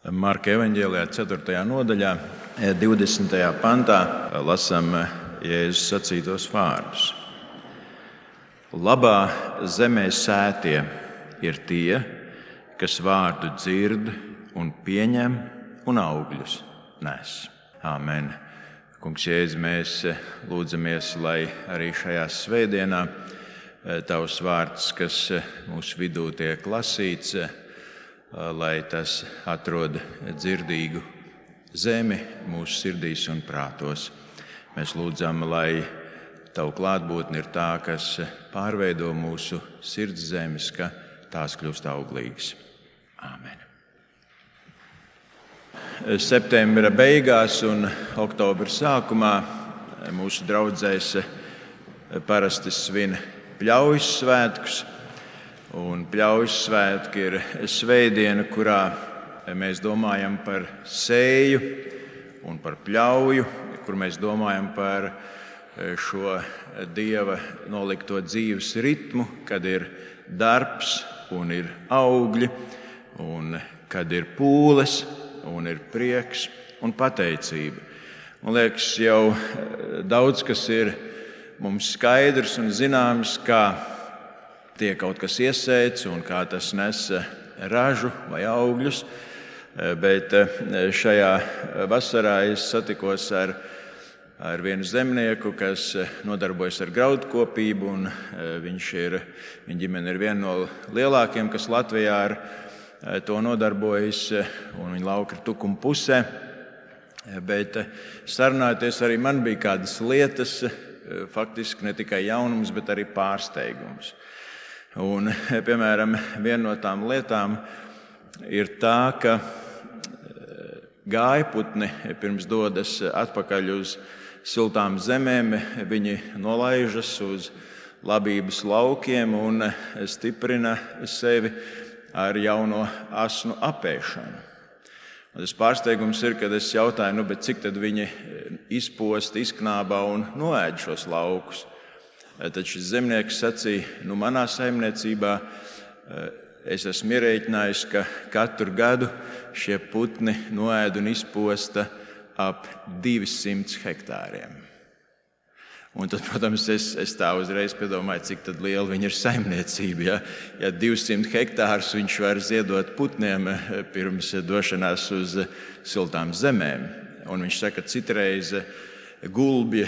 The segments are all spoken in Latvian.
Marka evaņģēlijā 4. nodaļā, 20. pantā lasām Jēzus sacītos vārdus. Labā zemē sētie ir tie, kas vārdu dzird un pieņem un augļus nes. Āmen. Kungs Jēzu, mēs lūdzamies, lai arī šajā svētdienā Tavs vārds, kas mūsu vidū tiek lasīts, lai tas atrod dzirdīgu zemi mūsu sirdīs un prātos. Mēs lūdzam, lai Tavu klātbūtne ir tā, kas pārveido mūsu sirds zemes, ka tās kļūst auglīgas. Āmen. Septembra beigās un oktobra sākumā mūsu draudzēs parasti svin Pļaujas svētkus. Un Pļaujas svētki ir svētdiena, kurā mēs domājam par sēju un par pļauju, kur mēs domājam par šo Dieva nolikto dzīves ritmu, kad ir darbs un ir augļi, un kad ir pūles un ir prieks un pateicība. Man liekas, jau daudz kas ir mums skaidrs un zināms, kā tiek kaut kas iesēts un kā tas nes ražu vai augļus, bet šajā vasarā es satikos ar vienu zemnieku, kas nodarbojas ar graudkopību, un viņa ģimene ir viena no lielākajiem, kas Latvijā ar to nodarbojas, un viņa lauka ir Tukuma pusē. Bet sarunājoties arī man bija kādas lietas, faktiski ne tikai jaunums, bet arī pārsteigums. Un, piemēram, viena no tām lietām ir tā, ka gājputni pirms dodas atpakaļ uz siltām zemēm, viņi nolaižas uz labības laukiem un stiprina sevi ar jauno asnu apēšanu. Un tas pārsteigums ir, kad es jautāju, cik tad viņi izposta, izknābā un noēd šos laukus. Tad šis zemnieks sacīja, manā saimniecībā es esmu ierēķinājis, ka katru gadu šie putni noēd un izposta ap 200 hektāriem. Un tad, protams, es tā uzreiz piedomāju, cik tad liela viņa ir saimniecība. Ja 200 hektārus viņš var ziedot putniem pirms došanās uz siltām zemēm. Un viņš saka, citreiz gulbi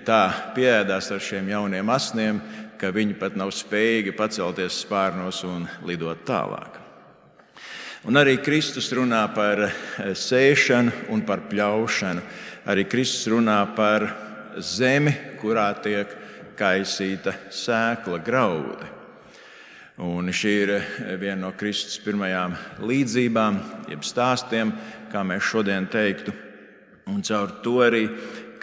tā pieēdās ar šiem jauniem asniem, ka viņi pat nav spējīgi pacelties spārnos un lidot tālāk. Un arī Kristus runā par sēšanu un par pļaušanu. Arī Kristus runā par zemi, kurā tiek kaisīta sēkla, graudi. Un šī ir viena no Kristus pirmajām līdzībām, jeb stāstiem, kā mēs šodien teiktu. Un caur to arī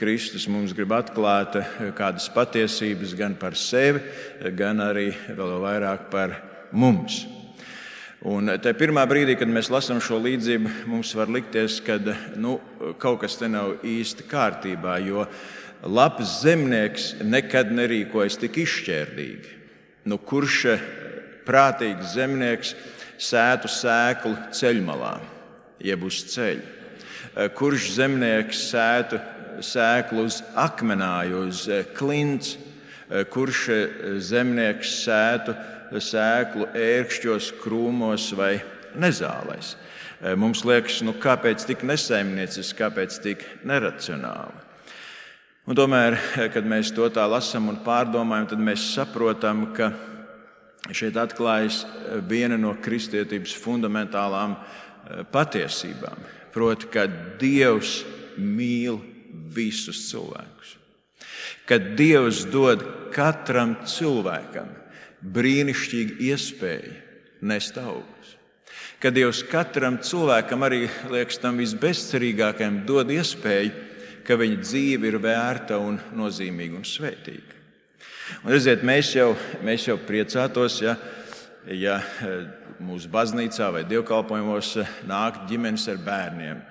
Kristus mums grib atklāt kādas patiesības gan par sevi, gan arī vēl vairāk par mums. Un te pirmā brīdī, kad mēs lasām šo līdzību, mums var likties, ka kaut kas te nav īsti kārtībā, jo labs zemnieks nekad nerīkojas tik izšķērdīgi. Kurš prātīgs zemnieks sētu sēklu ceļmalā, jeb uz ceļa? Kurš zemnieks sētu sēklu uz akmenāju, uz klints? Kurš zemnieks sētu sēklu ērkšķos, krūmos vai nezālēs? Mums liekas, kāpēc tik nesaimnieciski, kāpēc tik neracionāli? Un tomēr, kad mēs to tā lasām un pārdomājam, tad mēs saprotam, ka šeit atklājas viena no kristietības fundamentālām patiesībām. Proti, ka Dievs mīl visus cilvēkus. Ka Dievs dod katram cilvēkam brīnišķīgu iespēju nest augļus. Ka Dievs katram cilvēkam, arī liekas tam visbezcerīgākajam, dod iespēju, ka viņa dzīve ir vērta un nozīmīga un svētīga. Un redziet, mēs jau priecātos, ja mūsu baznīcā vai dievkalpojumos nāk ģimenes ar bērniem,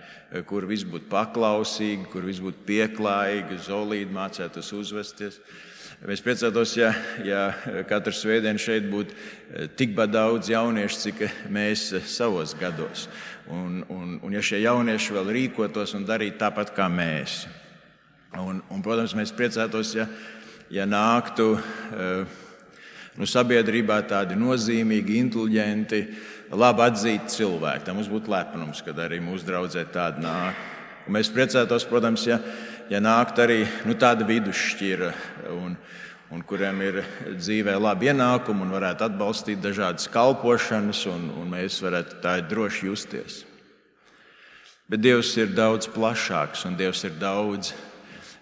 kur viss būtu paklausīgi, kur viss būtu pieklājīgi, zolīdi mācētos uzvesties. Mēs priecātos, ja katru svētdienu šeit būtu tikpat daudz jauniešu, cik mēs savos gados. Un ja šie jaunieši vēl rīkotos un darītu tāpat kā mēs. Un protams, mēs priecātos, ja nāktu sabiedrībā tādi nozīmīgi, inteliģenti, labi atzīti cilvēki. Tā mums būtu lepnums, kad arī mūsu draudzē tādi nāk. Un mēs priecātos, protams, ja nāktu arī tāda vidusšķira, un kuriem ir dzīvē labi ienākumi un varētu atbalstīt dažādas kalpošanas, un mēs varētu tā droši justies. Bet Dievs ir daudz plašāks, un Dievs ir daudz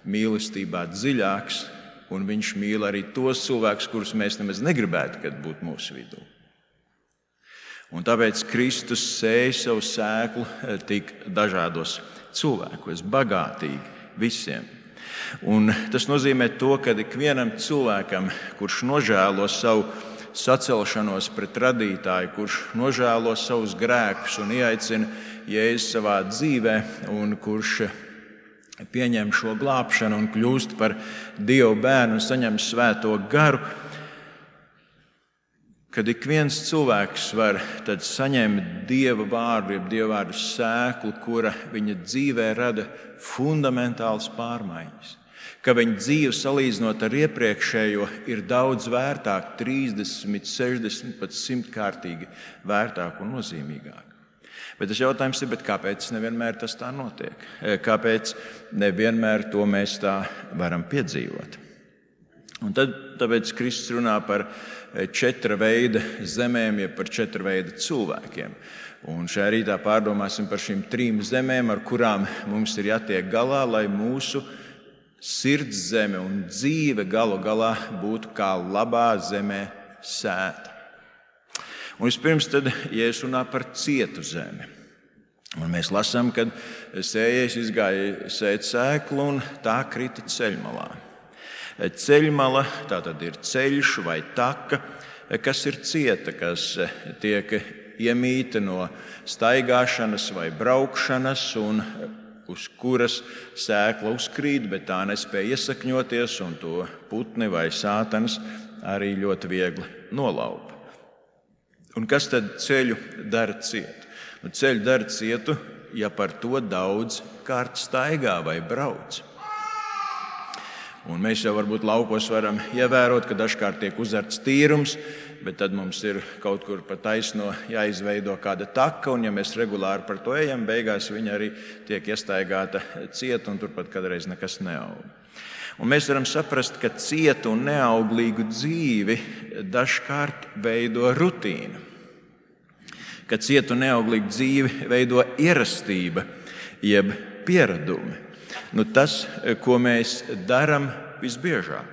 mīlestībā dziļāks, un Viņš mīl arī tos cilvēkus, kurus mēs nemaz negribētu, kad būtu mūsu vidū. Un tāpēc Kristus sēja savu sēklu tik dažādos cilvēkos, bagātīgi visiem. Un tas nozīmē to, ka ikvienam cilvēkam, kurš nožēlo savu sacelšanos pret radītāju, kurš nožēlo savus grēkus un ieaicina Jēzu savā dzīvē, un kurš pieņem šo glābšanu un kļūst par Dieva bērnu un saņem svēto garu, kad ik viens cilvēks var tad saņemt Dieva vārdu, jeb Dieva vārdu sēklu, kura viņa dzīvē rada fundamentālas pārmaiņas. Ka viņa dzīve salīdzinot ar iepriekšējo ir daudz vērtāka, 30, 60, pat 100-kārtīgi vērtāka un nozīmīgāka. Bet tas jautājums ir, kāpēc nevienmēr tas tā notiek? Kāpēc nevienmēr to mēs tā varam piedzīvot? Un tāpēc Kristus runā par 4 veida zemēm, jeb par 4 veida cilvēkiem. Un šajā rītā pārdomāsim par šīm 3 zemēm, ar kurām mums ir jātiek galā, lai mūsu sirds zeme un dzīve galu galā būtu kā labā zemē sēta. Un vispirms tad Jēzus runā par cietu zemi. Un mēs lasām, kad sējējs izgāja sēt sēklu un tā krita ceļmalā. Ceļmala tātad ir ceļš vai taka, kas ir cieta, kas tiek iemīta no staigāšanas vai braukšanas un uz kuras sēkla uzkrīt, bet tā nespēja iesakņoties un to putni vai sātanas arī ļoti viegli nolaupa. Un kas tad ceļu dara cietu? Ceļu dara cietu, ja par to daudz kārt staigā vai brauc. Un mēs jau varbūt laukos varam ievērot, ka dažkārt tiek uzarts tīrums, bet tad mums ir kaut kur pa taisno jāizveido kāda taka, un ja mēs regulāri par to ejam, beigās viņa arī tiek iestaigāta cieta, un turpat kādreiz nekas neaug. Un mēs varam saprast, ka cietu un neauglīgu dzīvi dažkārt veido rutīna. Ka cietu un neauglīgu dzīvi veido ierastība, jeb pieradumi. Tas, ko mēs darām visbiežāk.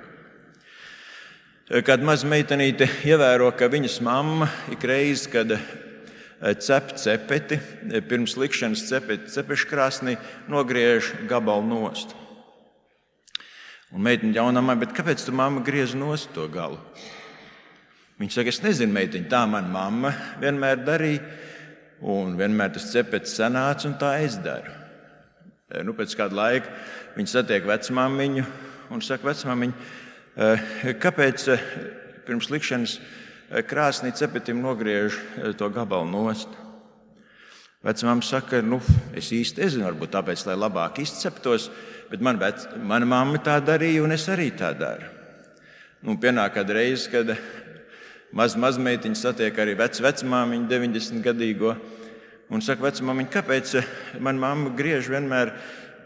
Kāda maza meitenīte ievēro, ka viņas mamma ik reizi, kad cep cepeti, pirms likšanas cepeškrāsnī, nogriež gabalu nost. Un meitiņa jaunamā, bet kāpēc tu mamma griez nost to galu? Viņa saka, es nezinu, meitiņa, tā man mamma vienmēr darīja, un vienmēr tas cepets sanāca, un tā es daru. Pēc kāda laika viņa satiek vecmāmiņu un saka, vecmāmiņa, kāpēc pirms likšanas krāsnī cepetim nogriež to gabalu nost? Vecmāma saka, es īsti nezinu, varbūt tāpēc, lai labāk izceptos, bet mana mamma tā darīja, un es arī tā daru. Pienāk kāda reize, kad mazmeitiņa satiek arī vecmāmiņu 90-gadīgo, un saka, vecmāmiņa, kāpēc mana mamma griež vienmēr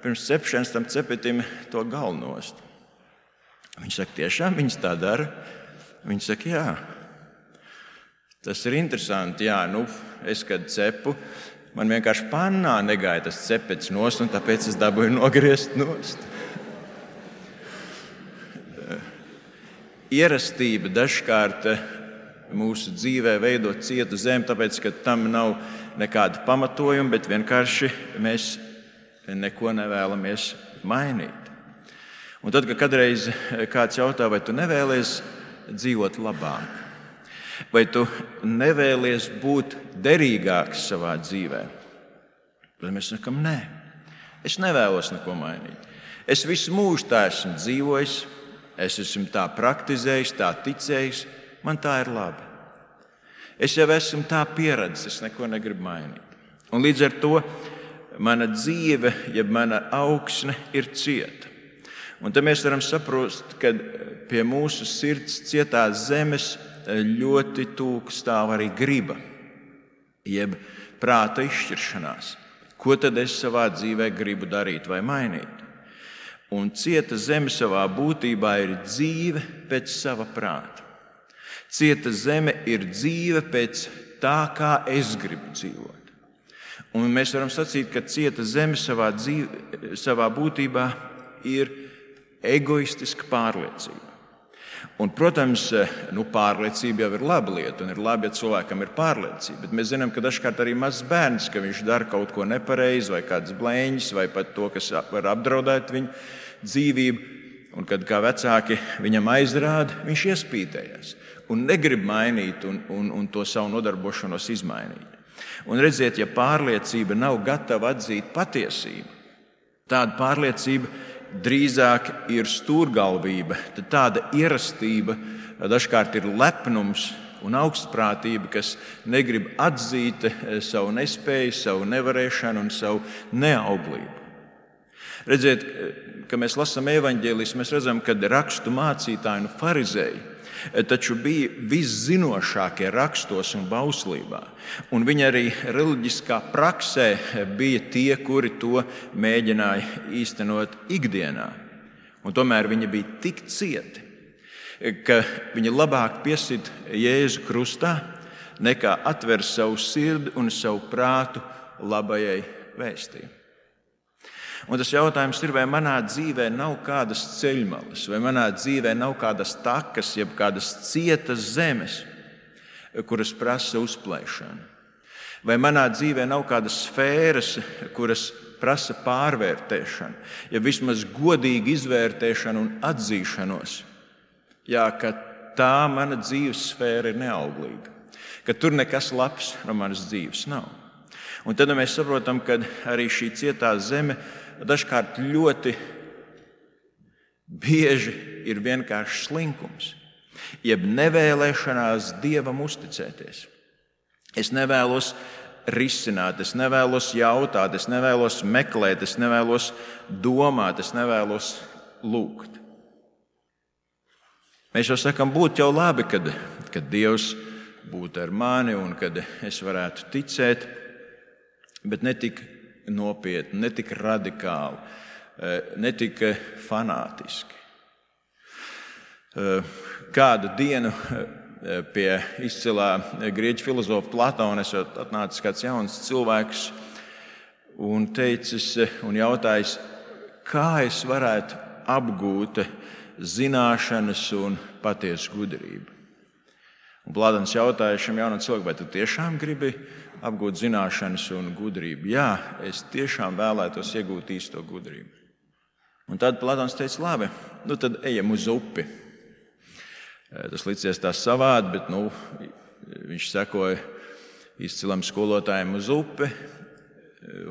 pirms cepšanas tam cepetim to galu nost? Viņa saka, tiešām viņas tā dara? Viņa saka, jā. Tas ir interesanti, jā, es kad cepu, man vienkārši pannā negāja tas cepets nost, un tāpēc es dabūju nogriezt nost. Ierastība dažkārt mūsu dzīvē veido cietu zemi, tāpēc, ka tam nav nekāda pamatojuma, bet vienkārši mēs neko nevēlamies mainīt. Un tad, kad kādreiz kāds jautā, vai tu nevēlies dzīvot labāk, vai tu nevēlies būt derīgāks savā dzīvē, tad mēs sakam, nē, es nevēlos neko mainīt. Es visu mūžu tā esmu dzīvojis, Es esmu tā praktizējis, tā ticējis, man tā ir labi. Es jau esmu tā pieredzis, es neko negribu mainīt. Un līdz ar to mana dzīve, jeb mana augsne ir cieta. Un tad mēs varam saprast, ka pie mūsu sirds cietās zemes ļoti tūk stāv arī griba, jeb prāta izšķiršanās. Ko tad es savā dzīvē gribu darīt vai mainīt? Un cieta zeme savā būtībā ir dzīve pēc sava prāta. Cieta zeme ir dzīve pēc tā, kā es gribu dzīvot. Un mēs varam sacīt, ka cieta zeme savā būtībā ir egoistiska pārliecība. Un, protams, pārliecība jau ir laba lieta, un ir labi, ja cilvēkam ir pārliecība. Bet mēs zinām, ka dažkārt arī mazs bērns, ka viņš dara kaut ko nepareizi, vai kāds blēņas, vai pat to, kas var apdraudēt viņa dzīvību. Un kad kā vecāki viņam aizrāda, viņš iespītējas un negrib mainīt un to savu nodarbošanos izmainīt. Un redziet, ja pārliecība nav gatava atzīt patiesību, tāda pārliecība drīzāk ir stūrgalvība, tad tāda ierastība dažkārt ir lepnums un augstprātība, kas negrib atzīt savu nespēju, savu nevarēšanu un savu neauglību. Redziet, kad mēs lasām evaņģēlijus, mēs redzam, ka rakstu mācītāji un farizēji taču bija viszinošākie rakstos un bauslībā. Un viņi arī reliģiskā praksē bija tie, kuri to mēģināja īstenot ikdienā. Un tomēr viņi bija tik cieti, ka viņi labāk piesit Jēzu krustā, nekā atver savu sirdi un savu prātu labajai vēstījumai. Un tas jautājums ir, vai manā dzīvē nav kādas ceļmalas, vai manā dzīvē nav kādas takas, jeb kādas cietas zemes, kuras prasa uzplēšanu. Vai manā dzīvē nav kādas sfēras, kuras prasa pārvērtēšanu, ja vismaz godīgu izvērtēšanu un atzīšanos, ka tā mana dzīves sfēra ir neauglīga, ka tur nekas labs no manas dzīves nav. Un tad mēs saprotam, ka arī šī cietā zeme dažkārt ļoti bieži ir vienkārši slinkums, jeb nevēlēšanās Dievam uzticēties. Es nevēlos risināt, es nevēlos jautāt, es nevēlos meklēt, es nevēlos domāt, es nevēlos lūgt. Mēs jau sakām, būtu jau labi, kad Dievs būtu ar mani un kad es varētu ticēt, bet ne tik nopietni, ne tik radikāli, ne tik fanātiski. Kādu dienu pie izcilā grieķu filozofa Platona esot atnācis kāds jauns cilvēks un teicis un jautājis, kā es varētu apgūt zināšanas un patiesu gudrību. Un Platons jautāja šim jaunam cilvēkam, vai tu tiešām gribi apgūt zināšanas un gudrību? Jā, es tiešām vēlētos iegūt īsto gudrību. Un tad Platons teica, labi, tad ejam uz upi. Tas licies tā savādi, bet viņš sekoja izcilam skolotājiem uz upi.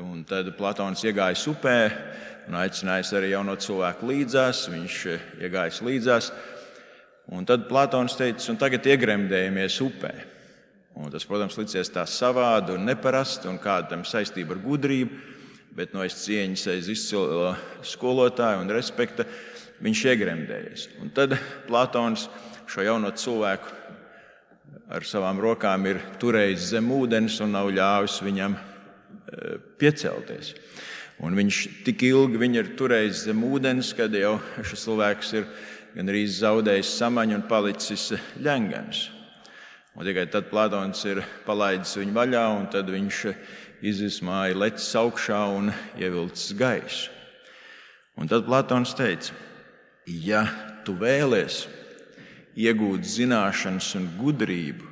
Un tad Platons iegājis upē un aicinājis arī jauno cilvēku līdzās. Viņš iegājis līdzās. Un tad Platons teica, un tagad iegremdējamies upē. Un tas, protams, licies tā savādi un neparasti, un kāda tam saistība ar gudrību, bet no es cieņas aiz izcilo skolotāju un respekta viņš iegremdējies. Un tad Platons šo jauno cilvēku ar savām rokām ir turējis zem ūdens un nav ļāvis viņam piecelties. Un viņš tik ilgi viņu ir turējis zem ūdens, kad jau šis cilvēks ir gandrīz zaudējis samaņu un palicis ļengans. Un tikai tad Platons ir palaidis viņu vaļā, un tad viņš izvismāja lecis augšā un ievilcis gaisu. Un tad Platons teica, ja tu vēlies iegūt zināšanas un gudrību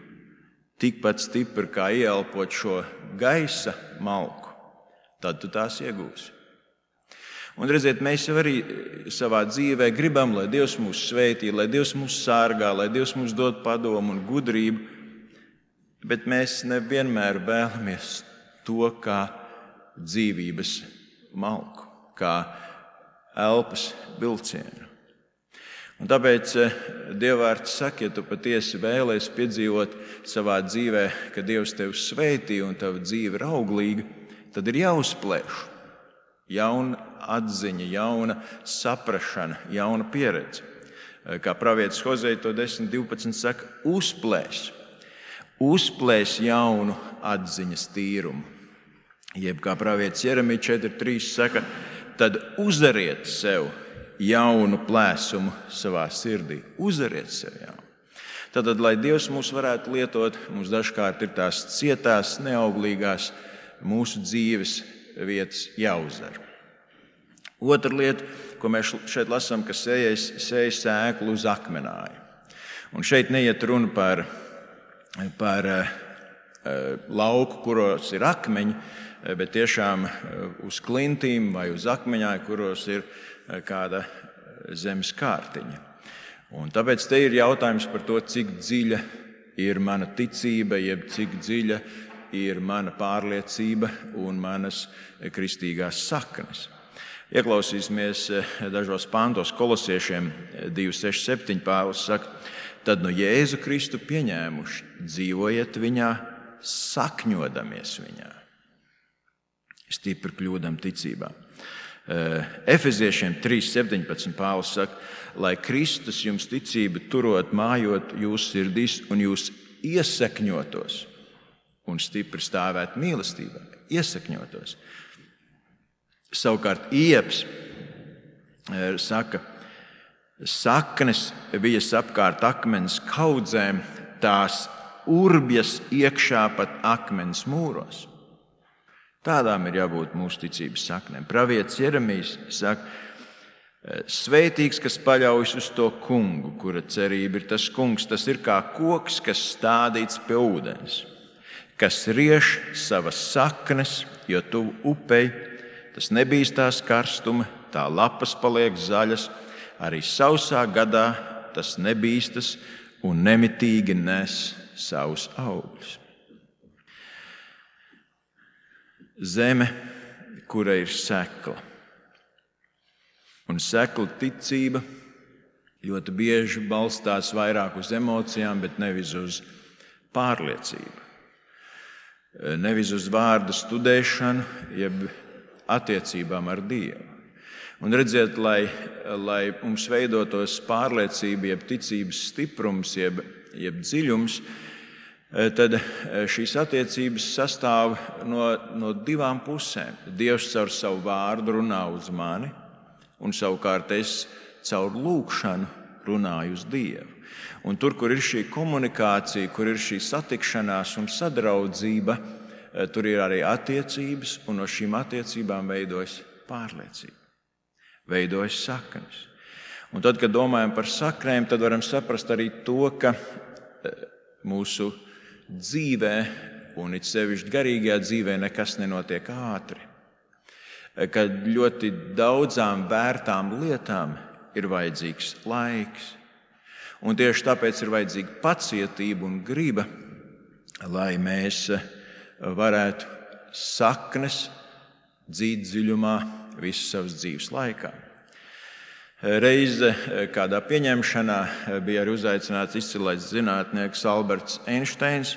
tikpat stipri kā ieelpot šo gaisa malku, tad tu tās iegūsi. Un redziet, mēs jau arī savā dzīvē gribam, lai Dievs mūs svētī, lai Dievs mūs sārgā, lai Dievs mums dod padomu un gudrību, bet mēs nevienmēr vēlamies to kā dzīvības malku, kā elpas vilcienu. Un tāpēc Dievvvārds saka, ja tu patiesi vēlies piedzīvot savā dzīvē, ka Dievs tevi svētī un tava dzīve ir auglīga, tad ir jāuzplēš jauna atziņa, jauna saprašana, jauna pieredze. Kā pravietis Hozej to 10.12 saka, uzplēs jaunu atziņas tīrumu. Jeb kā pravietis Jeremija 4.3 saka, tad uzariet sev jaunu plēsumu savā sirdī. Uzariet sev jaunu. Tātad, lai Dievs mūs varētu lietot, mums dažkārt ir tās cietās, neauglīgās mūsu dzīves vietas jāuzar. Otra lieta, ko mēs šeit lasām, ka sēja sēklu uz akmenāja. Un šeit neiet runa par lauku, kuros ir akmeņi, bet tiešām uz klintīm vai uz akmeņāju, kuros ir kāda zemes kārtiņa. Un tāpēc te ir jautājums par to, cik dziļa ir mana ticība, jeb cik dziļa ir mana pārliecība un manas kristīgās saknes. Ieklausīsimies dažos pantos. Kolosiešiem 2.6.7 Pāvils saka, tad no Jēzu Kristu pieņēmuši, dzīvojiet viņā, sakņodamies viņā. Stipri kļūdam ticībā. Efeziešiem 3.17 Pāvils saka, lai Kristus jums ticība turot mājot jūsu sirdīs un jūs iesakņotos un stipri stāvēt mīlestībā. Iesakņotos. Savukārt Ieps saka, saknes vijas apkārt akmens kaudzēm, tās urbjas iekšā pat akmens mūros. Tādām ir jābūt mūsu ticības saknēm. Pravietis Jeremijs saka, svētīgs, kas paļaujas uz to kungu, kura cerība ir tas kungs, tas ir kā koks, kas stādīts pie ūdens, kas rieš savas saknes, jo tuvu upei, tas nebīstās karstuma, tā lapas paliek zaļas, arī sausā gadā tas nebīstas un nemitīgi nes savus augļus. Zeme, kura ir sekla. Un sekla ticība ļoti bieži balstās vairāk uz emocijām, bet nevis uz pārliecību. Nevis uz vārda studēšanu, jeb attiecībām ar Dievu. Un redziet, lai mums veidotos pārliecība, jeb ticības stiprums, jeb dziļums, tad šīs attiecības sastāv no divām pusēm. Dievs caur savu vārdu runā uz mani, un savukārt es caur lūgšanu runāju uz Dievu. Un tur, kur ir šī komunikācija, kur ir šī satikšanās un sadraudzība, tur ir arī attiecības, un no šīm attiecībām veidojas pārliecība, veidojas saknes. Un tad, kad domājam par saknēm, tad varam saprast arī to, ka mūsu dzīvē, un it sevišķi garīgajā dzīvē, nekas nenotiek ātri. Kad ļoti daudzām vērtām lietām ir vajadzīgs laiks. Un tieši tāpēc ir vajadzīga pacietība un griba, lai mēs varētu saknes dzīt dziļumā visu savas dzīves laikā. Reize kādā pieņemšanā bija arī uzaicināts izcilais zinātnieks Alberts Einsteins.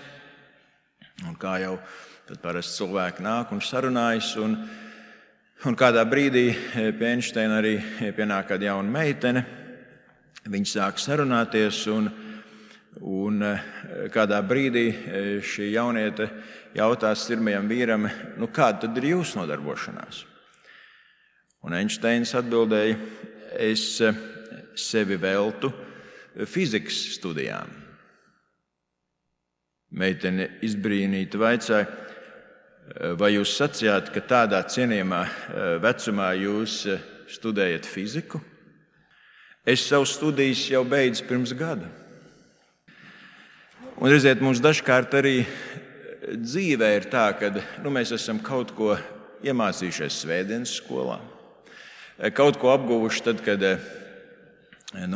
Un kā jau tad parasti cilvēki nāk un sarunājas, un kādā brīdī pie Einsteina arī pienāk kāda jauna meitene. Viņi sāk sarunāties, un kādā brīdī šī jauniete jautās pirmajam vīram, kāda tad ir jūsu nodarbošanās? Un Einsteins atbildēja, es sevi veltu fizikas studijām. Meitene izbrīnīta vaicāja, vai jūs sacījāt, ka tādā cienījamā vecumā jūs studējat fiziku? Es savu studijas jau beidzu pirms gada. Un redziet, mums dažkārt arī dzīvē ir tā, ka mēs esam kaut ko iemācījušies svētdienas skolā. Kaut ko apguvuši tad, kad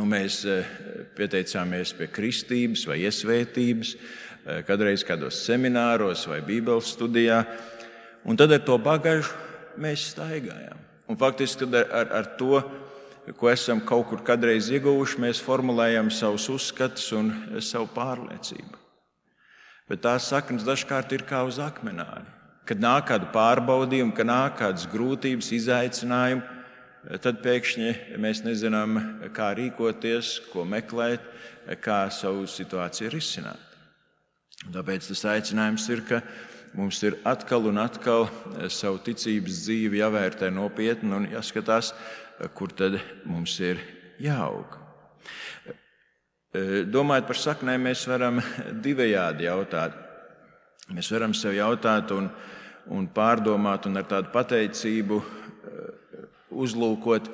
mēs pieteicāmies pie kristības vai iesvētības, kādreiz kādos semināros vai bībeles studijā, un tad ar to bagažu mēs staigājām. Un faktiski ar to ko esam kaut kur kādreiz ieguvuši, mēs formulējam savus uzskatus un savu pārliecību. Bet tās saknes dažkārt ir kā uz akmenāri. Kad nāk kāda pārbaudījuma, kad nāk kādas grūtības, izaicinājumi, tad pēkšņi mēs nezinām, kā rīkoties, ko meklēt, kā savu situāciju risināt. Tāpēc tas aicinājums ir, ka mums ir atkal un atkal savu ticības dzīvi jāvērtē nopietni un jāskatās, kur tad mums ir jāaug. Domājot par saknēm, mēs varam divējādi jautāt. Mēs varam sev jautāt un pārdomāt un ar tādu pateicību uzlūkot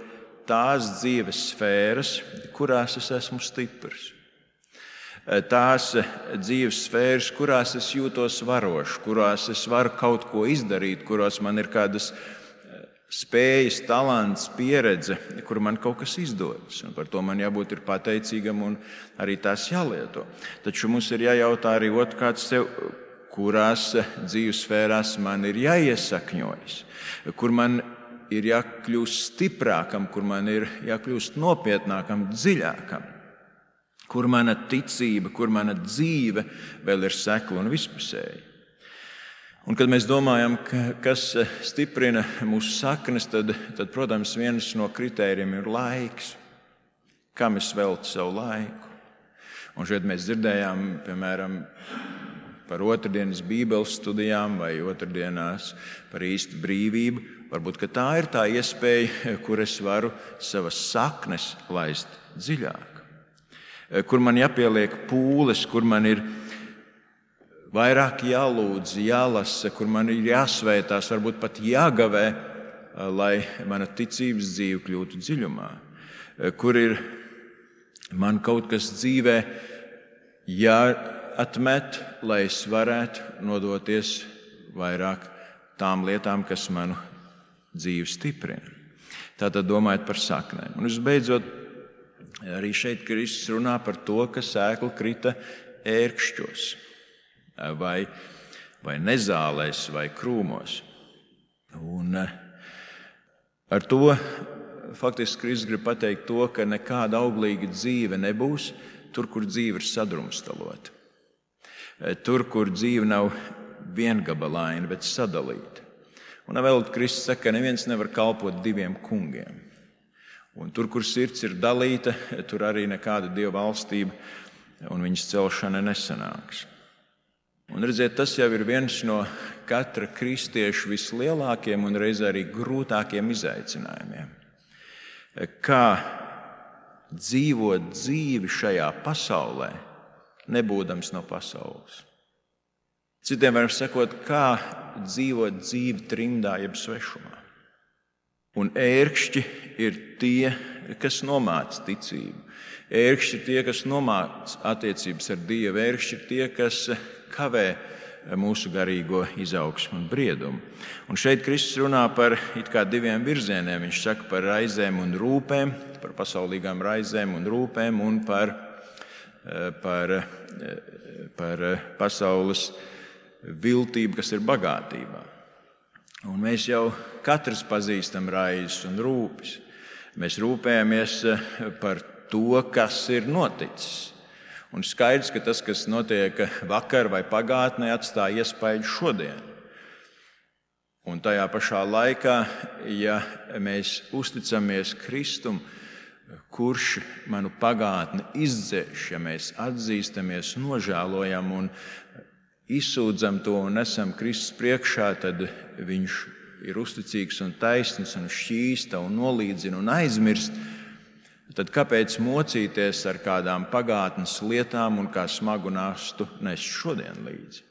tās dzīves sfēras, kurās es esmu stiprs. Tās dzīves sfēras, kurās es jūtos varošs, kurās es varu kaut ko izdarīt, kurās man ir kādas spējas, talants, pieredze, kur man kaut kas izdodas. Un par to man jābūt ir pateicīgam un arī tās jālieto. Taču mums ir jājautā arī otrkārt sev, kurās dzīves sfērās man ir jāiesakņojas, kur man ir jākļūst stiprākam, kur man ir jākļūst nopietnākam, dziļākam, kur mana ticība, kur mana dzīve vēl ir sekla un vispusēja. Un, kad mēs domājam, kas stiprina mūsu saknes, tad, protams, viens no kritērijiem ir laiks. Kam es veltu savu laiku? Un šeit mēs dzirdējām, piemēram, par otrdienas bībeles studijām vai otrdienās par īstu brīvību. Varbūt, ka tā ir tā iespēja, kur es varu savas saknes laist dziļāk. Kur man jāpieliek pūles, kur man ir vairāk jālūdz, jālasa, kur man ir jāsvētās, varbūt pat jāgavē, lai mana ticības dzīve kļūtu dziļumā. Kur ir man kaut kas dzīvē jāatmet, lai es varētu nodoties vairāk tām lietām, kas manu dzīvi stiprina. Tātad domājot par saknēm. Un visbeidzot, arī šeit Kristus runā par to, ka sēkla krita ērkšķos. Vai nezālēs, vai krūmos. Un ar to faktiski Kristus grib pateikt to, ka nekāda auglīga dzīve nebūs tur, kur dzīve ir sadrumstalota. Tur, kur dzīve nav viengabalaina, bet sadalīta. Un vēl Kristus saka, ka neviens nevar kalpot diviem kungiem. Un tur, kur sirds ir dalīta, tur arī nekāda Dieva valstība un viņas celšana nesanāks. Un redziet, tas jau ir viens no katra kristieša vislielākiem un reizē arī grūtākiem izaicinājumiem. Kā dzīvot dzīvi šajā pasaulē, nebūdams no pasaules. Citiem varam sakot, kā dzīvot dzīvi trimdā jeb svešumā. Un ērkšķi ir tie, kas nomāca ticību. Ērkšķi ir tie, kas nomāca attiecības ar Dievu. Ērkšķi ir tie, kas kavē mūsu garīgo izaugsmu un briedumu. Un šeit Kristus runā par it kā diviem virzieniem. Viņš saka par raizēm un rūpēm, par pasaulīgām raizēm un rūpēm un par pasaules viltību, kas ir bagātībā. Un mēs jau katrs pazīstam raizes un rūpes. Mēs rūpējamies par to, kas ir noticis. Un skaidrs, ka tas, kas notiek vakar vai pagātnē, atstāja iespaidu šodien. Un tajā pašā laikā, ja mēs uzticamies Kristum, kurš manu pagātni izdzēš, ja mēs atzīstamies, nožēlojam un izsūdzam to un esam Kristus priekšā, tad viņš ir uzticīgs un taisns un šķīsta un nolīdzina un aizmirst. Tad kāpēc mocīties ar kādām pagātnes lietām un kā smagu nastu nest šodien līdzi?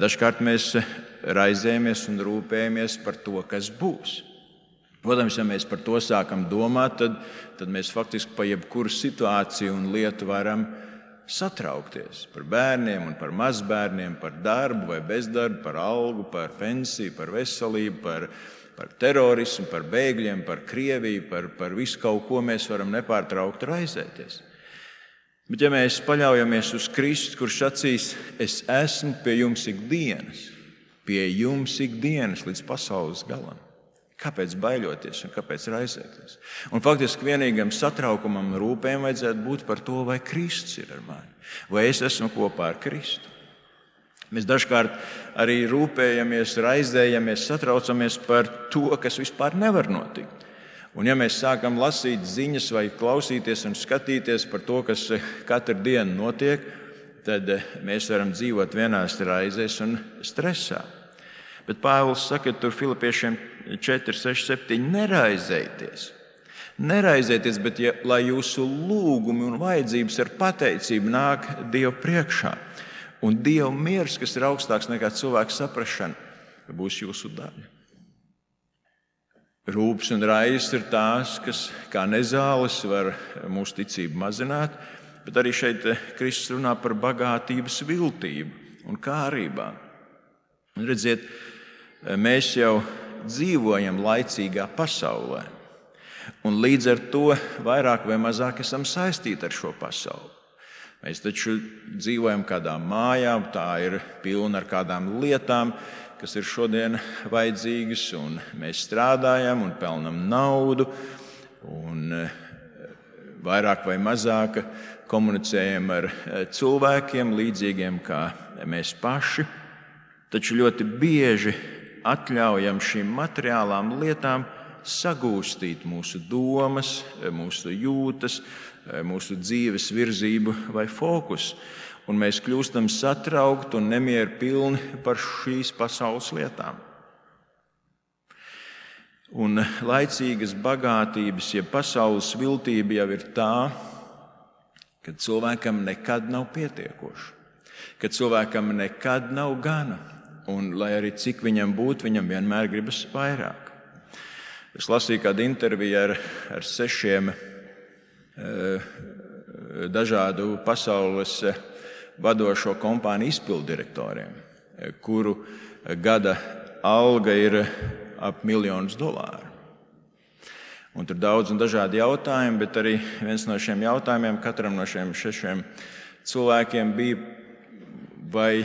Dažkārt mēs raizējamies un rūpējamies par to, kas būs. Protams, ja mēs par to sākam domāt, tad mēs faktiski pa jebkuru situāciju un lietu varam satraukties. Par bērniem un par mazbērniem, par darbu vai bezdarbu, par algu, par pensiju, par veselību, par terorismu, par bēgļiem, par Krieviju, par visu kaut ko mēs varam nepārtraukti raizēties. Bet ja mēs paļaujamies uz Kristu, kurš sacīs, es esmu pie jums ikdienas līdz pasaules galam. Kāpēc baiļoties un kāpēc raizēties? Un faktiski vienīgam satraukumam un rūpēm vajadzētu būt par to, vai Kristus ir ar mani, vai es esmu kopā ar Kristu. Mēs dažkārt arī rūpējamies, raizējamies, satraucamies par to, kas vispār nevar notikt. Un ja mēs sākam lasīt ziņas vai klausīties un skatīties par to, kas katru dienu notiek, tad mēs varam dzīvot vienās raizēs un stresā. Bet Pāvils saka tur Filipiešiem 4, 6, 7, neraizējieties. Neraizējieties, bet lai jūsu lūgumi un vajadzības ar pateicību nāk Dieva priekšā. Un Dieva miers, kas ir augstāks nekā cilvēka saprašana, būs jūsu daļa. Rūpes un raizes ir tās, kas kā nezāles var mūsu ticību mazināt, bet arī šeit Kristus runā par bagātības viltību un kārībām. Un redziet, mēs jau dzīvojam laicīgā pasaulē, un līdz ar to vairāk vai mazāk esam saistīti ar šo pasauli. Mēs taču dzīvojam kādā mājā, tā ir pilna ar kādām lietām, kas ir šodien vajadzīgas, un mēs strādājam un pelnam naudu, un vairāk vai mazāk komunicējam ar cilvēkiem līdzīgiem kā mēs paši, taču ļoti bieži atļaujam šīm materiālām lietām sagūstīt mūsu domas, mūsu jūtas, mūsu dzīves virzību vai fokusu. Un mēs kļūstam satraukti un nemieru pilni par šīs pasaules lietām. Un laicīgas bagātības, ja pasaules viltība jau ir tā, ka cilvēkam nekad nav pietiekoši, ka cilvēkam nekad nav gana. Un, lai arī cik viņam būtu, viņam vienmēr gribas vairāk. Es lasīju kādu interviju ar 6 dažādu pasaules vadošo kompāniju izpilddirektoriem, kuru gada alga ir ap $1 000 000. Un tur daudz un dažādi jautājumi, bet arī viens no šiem jautājumiem katram no šiem 6 cilvēkiem bija, vai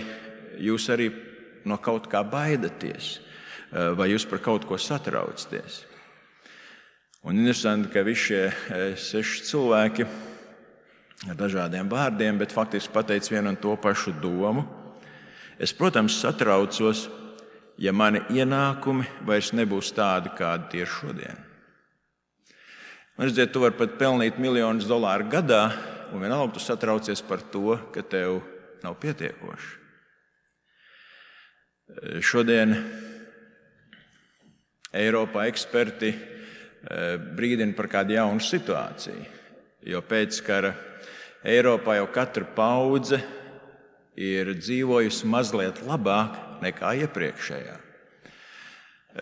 jūs arī no kaut kā baidaties, vai jūs par kaut ko satraucaties. Un interesanti, ka visi šie 6 cilvēki ar dažādiem vārdiem, bet faktiski pateica vienu un to pašu domu. Es, protams, satraucos, ja mani ienākumi vairs nebūs tādi, kādi tie ir šodien. Man redziet, tu vari pat pelnīt $1 000 000 gadā, un vienalga tu satraucies par to, ka tev nav pietiekoši. Šodien Eiropā eksperti brīdina par kādu jaunu situāciju, jo pēc kara Eiropā jau katra paudze ir dzīvojusi mazliet labāk nekā iepriekšējā.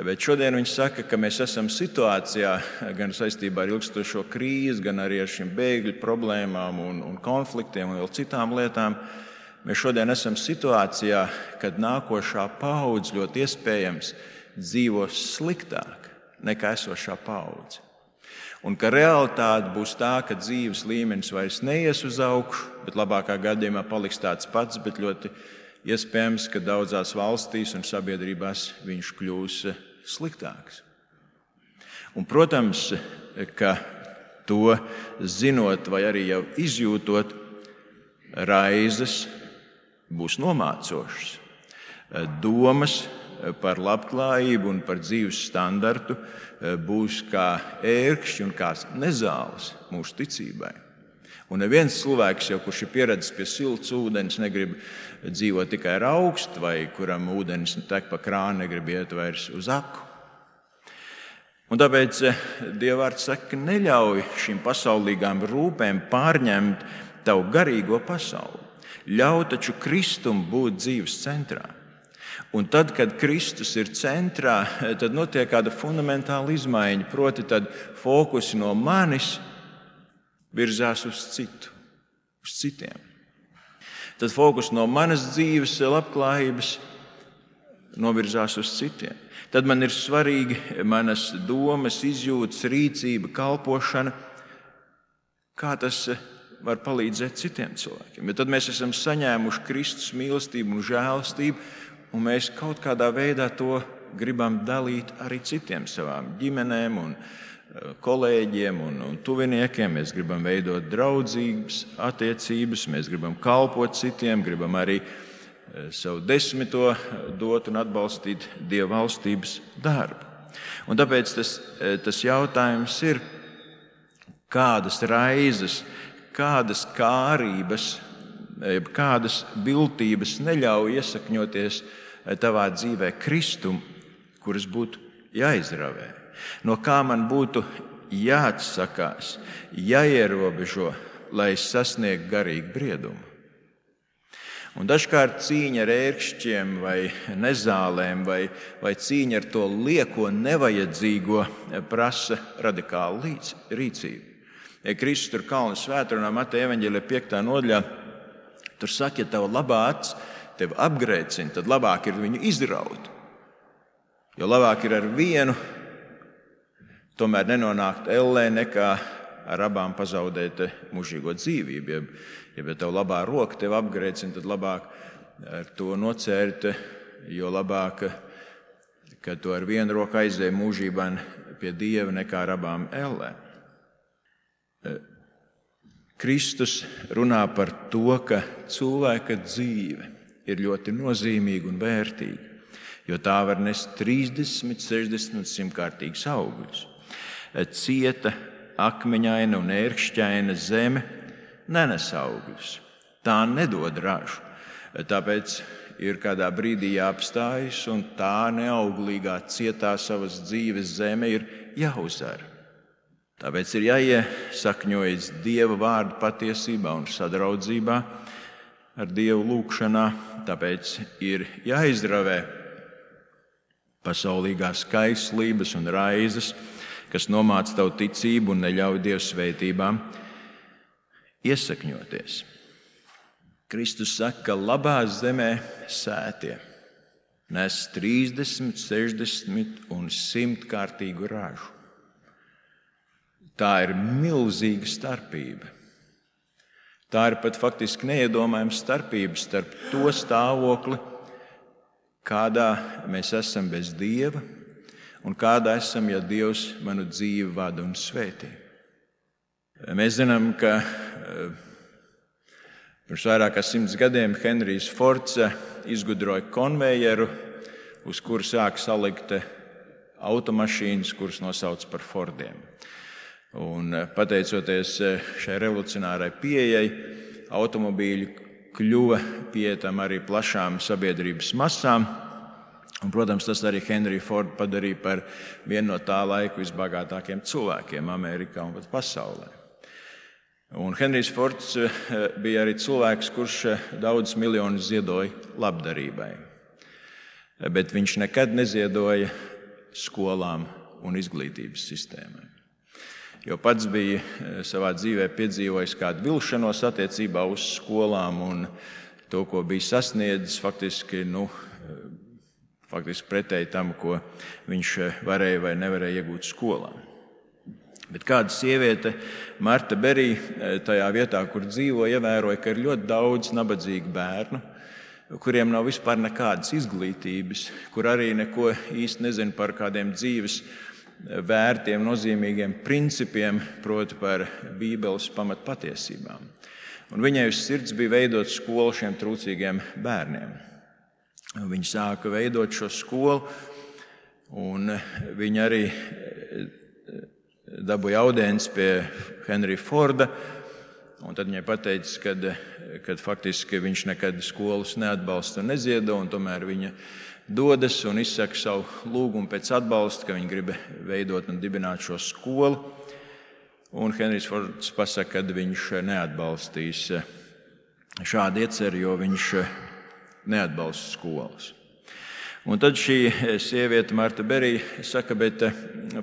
Bet šodien viņi saka, ka mēs esam situācijā gan saistībā ar ilgstošo krīzi, gan arī ar šīm bēgļu problēmām un konfliktiem un vēl citām lietām. Mēs šodien esam situācijā, kad nākošā paudze ļoti iespējams dzīvos sliktāk nekā esošā paudze. Un ka realitāte būs tā, ka dzīves līmenis vairs neies uz augšu, bet labākā gadījumā paliks tāds pats, bet ļoti iespējams, ka daudzās valstīs un sabiedrībās viņš kļūs sliktāks. Un, protams, ka to zinot vai arī jau izjūtot, raizes būs nomācošas. Domas par labklājību un par dzīves standartu būs kā ērkšķi un kā nezāles mūsu ticībai. Un neviens cilvēks, kurš ir pieredzējis pie silts ūdens, negrib dzīvot tikai ar augstu, vai kuram ūdens tek pa krānu, negrib iet vairs uz aku. Un tāpēc Dieva vārds saka, ka neļauj šīm pasaulīgām rūpēm pārņemt tavu garīgo pasauli. Ļauj taču Kristum būt dzīves centrā. Un tad, kad Kristus ir centrā, tad notiek kāda fundamentāla izmaiņa, proti tad fokusi no manis virzās uz citu, uz citiem. Tad fokus no manas dzīves labklājības novirzās uz citiem. Tad man ir svarīgi manas domas, izjūtas, rīcība, kalpošana, kā tas var palīdzēt citiem cilvēkiem. Bet tad mēs esam saņēmuši Kristus mīlestību un žēlastību, un mēs kaut kādā veidā to gribam dalīt arī citiem, savām ģimenēm un kolēģiem un tuviniekiem. Mēs gribam veidot draudzīgas attiecības, mēs gribam kalpot citiem, gribam arī savu desmito dot un atbalstīt Dieva valstības darbu. Un tāpēc tas jautājums ir, kādas raizes, kādas kārības, kādas viltības neļauj iesakņoties tavā dzīvē Kristum, kuras būtu jāizravē. No kā man būtu jāatsakās, jāierobežo, lai es sasniegtu garīgu briedumu. Un dažkārt cīņa ar ērkšķiem vai nezālēm vai cīņa ar to lieko nevajadzīgo prasa radikālu rīcību. Ja Kristus tur Kalna svētdienā Mateja evaņģēlijā 5. nodaļā, tur saka, ja tava labā acis tevi apgrēcina, tad labāk ir viņu izraut. Jo labāk ir ar vienu tomēr nenonākt ellē, nekā ar abām pazaudēt mūžīgo dzīvību. Ja tev labā roka tevi apgrēcina, tad labāk ar to nocērt, jo labāk, ka tu ar vienu roku aizēji mūžībā pie Dieva, nekā ar abām ellēm. Kristus runā par to, ka cilvēka dzīve ir ļoti nozīmīga un vērtīga, jo tā var nest 30, 60 un 100-kārtīgus augļus. Cieta, akmeņaina un ērkšķaina zeme nenes augļus. Tā nedod ražu. Tāpēc ir kādā brīdī jāapstājas, un tā neauglīgā, cietā savas dzīves zeme ir jāuzara. Tāpēc ir jāiesakņojas Dieva vārda patiesībā un sadraudzībā ar Dievu lūgšanā. Tāpēc ir jāizravē pasaulīgās kaislības un raizes, kas nomāca tavu ticību un neļauj Dieva svētībām iesakņoties. Kristus saka, ka labā zemē sētie nes 30, 60 un 100-kārtīgu ražu. Tā ir milzīga starpība. Tā ir pat faktiski neiedomājama starpība starp to stāvokli, kādā mēs esam bez Dieva, un kādā esam, ja Dievs manu dzīvi vada un svētī. Mēs zinām, ka pirms vairāk kā 100 gadiem Henrijs Fords izgudroja konvejeru, uz kuru sāk salikt automašīnas, kuras nosauc par Fordiem. Un pateicoties šai revolucionārai pieejai, automobīļi kļuva pieejami arī plašām sabiedrības masām. Un, protams, tas arī Henriju Fordu padarīja par vienu no tā laika visbagātākajiem cilvēkiem Amerikā un pat pasaulē. Un Henrijs Fords bija arī cilvēks, kurš daudz miljonus ziedoja labdarībai. Bet viņš nekad neziedoja skolām un izglītības sistēmai. Jo pats bija savā dzīvē piedzīvojis kādu vilšanos attiecībā uz skolām un to, ko bija sasniedzis, faktiski pretēji tam, ko viņš varēja vai nevarēja iegūt skolā. Bet kāda sieviete, Marta Berija, tajā vietā, kur dzīvo, ievēroja, ka ir ļoti daudz nabadzīgu bērnu, kuriem nav vispār nekādas izglītības, kur arī neko īsti nezina par kādiem dzīves vērtiem, nozīmīgiem principiem, proti par Bībeles pamatpatiesībām. Un viņai uz sirds bija veidot skolu šiem trūcīgiem bērniem. Viņa sāka veidot šo skolu, un viņa arī dabūja audienci pie Henrija Forda, un tad viņai pateica, kad faktiski viņš nekad skolas neatbalsta un neziedo, un tomēr viņa dodas un izsaka savu lūgumu pēc atbalsta, ka viņa grib veidot un dibināt šo skolu. Un Henrijs Fords pasaka, ka viņš neatbalstīs šādu ieceri, jo viņš neatbalsta skolas. Un tad šī sieviete, Marta Berija, saka, bet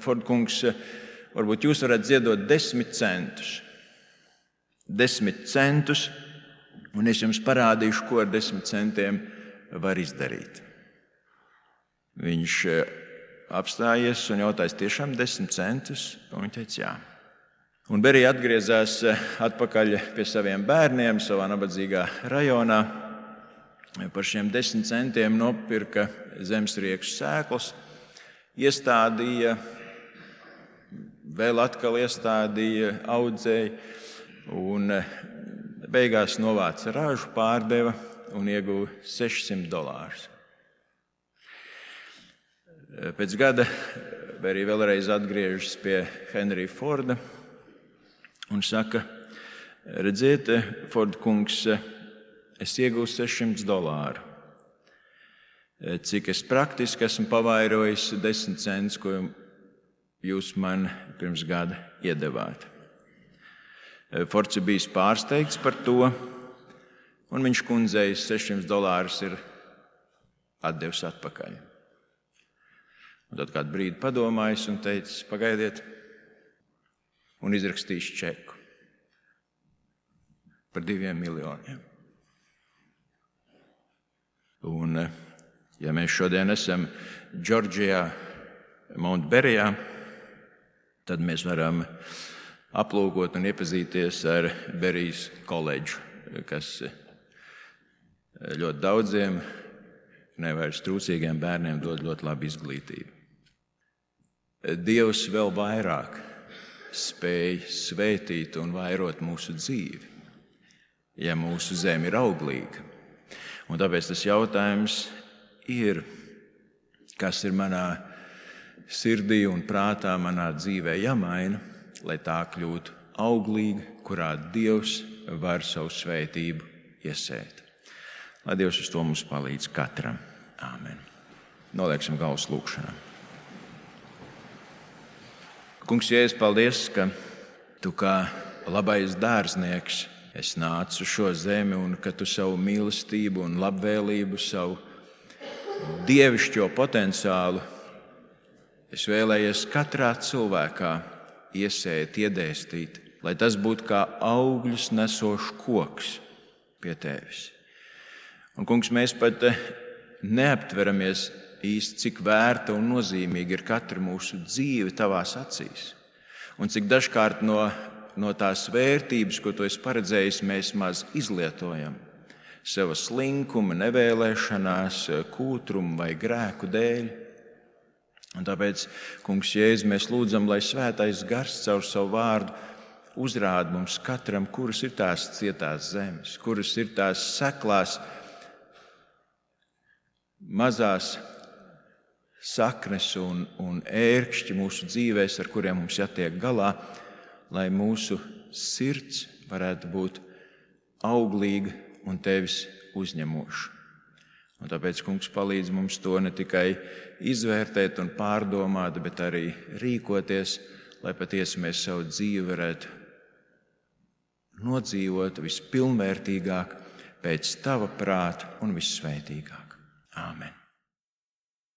Ford kungs, varbūt jūs varat ziedot 10 centus. 10 centus, un es jums parādīšu, ko ar 10 centiem var izdarīt. Viņš apstājies un jautāja, tiešām 10 centus? Un viņš teica, jā. Un Berija atgriezās atpakaļ pie saviem bērniem savā nabadzīgā rajonā. par šiem 10 centiem nopirka zemesriekšu sēklas, iestādīja, vēl atkal iestādīja, audzēja un beigās novāca ražu, pārdeva un ieguva $600. Pēc gada Berī vēlreiz atgriežas pie Henrija Forda un saka: redziet, Forda kungs, es ieguvu $600. Cik es praktiski esmu pavairojis 10 centus, ko jūs man pirms gada iedevāt. Fords ir bijis pārsteigts par to, un viņš kundzei $600 ir atdevis atpakaļ. Un tad kādu brīdi padomājis un teicis: pagaidiet, un izrakstījis čeku par 2 miljoniem. Un, ja mēs šodien esam Džordžijā, Montberijā, tad mēs varam aplūkot un iepazīties ar Berijas koledžu, kas ļoti daudziem nevairs trūcīgiem bērniem dod ļoti labu izglītību. Dievs vēl vairāk spēj svētīt un vairot mūsu dzīvi, ja mūsu zeme ir auglīga. Un tāpēc tas jautājums ir, kas ir manā sirdī un prātā, manā dzīvē jāmaina, lai tā kļūtu auglīga, kurā Dievs var savu svētību iesēt. Lai Dievs uz to mums palīdz katram. Āmen. Nolieksim galvas lūkšanā. Kungs, Jēzus, paldies, ka Tu kā labais dārznieks esi nācis uz šo zemi un ka Tu savu mīlestību un labvēlību, savu dievišķo potenciālu esi vēlējies katrā cilvēkā iesēt, iedēstīt, lai tas būtu kā augļus nesošs koks pie Tevis. Un, Kungs, mēs pat neaptveramies īsti, cik vērta un nozīmīga ir katra mūsu dzīve Tavās acīs. Un cik dažkārt no tās vērtības, ko Tu esi paredzējis, mēs maz izlietojam sava slinkuma, nevēlēšanās, kūtruma vai grēku dēļ. Un tāpēc, Kungs, Jēzu, mēs lūdzam, lai Svētais Gars caur savu vārdu uzrāda mums katram, kuras ir tās cietās zemes, kuras ir tās seklās, mazās saknes un ērkšķi mūsu dzīvēs, ar kuriem mums jātiek galā, lai mūsu sirds varētu būt auglīga un Tevis uzņemoša. Un tāpēc, Kungs, palīdz mums to ne tikai izvērtēt un pārdomāt, bet arī rīkoties, lai patiesi mēs savu dzīvi varētu nodzīvot vispilnvērtīgāk, pēc Tava prāta un vissvētīgāk. Āmen.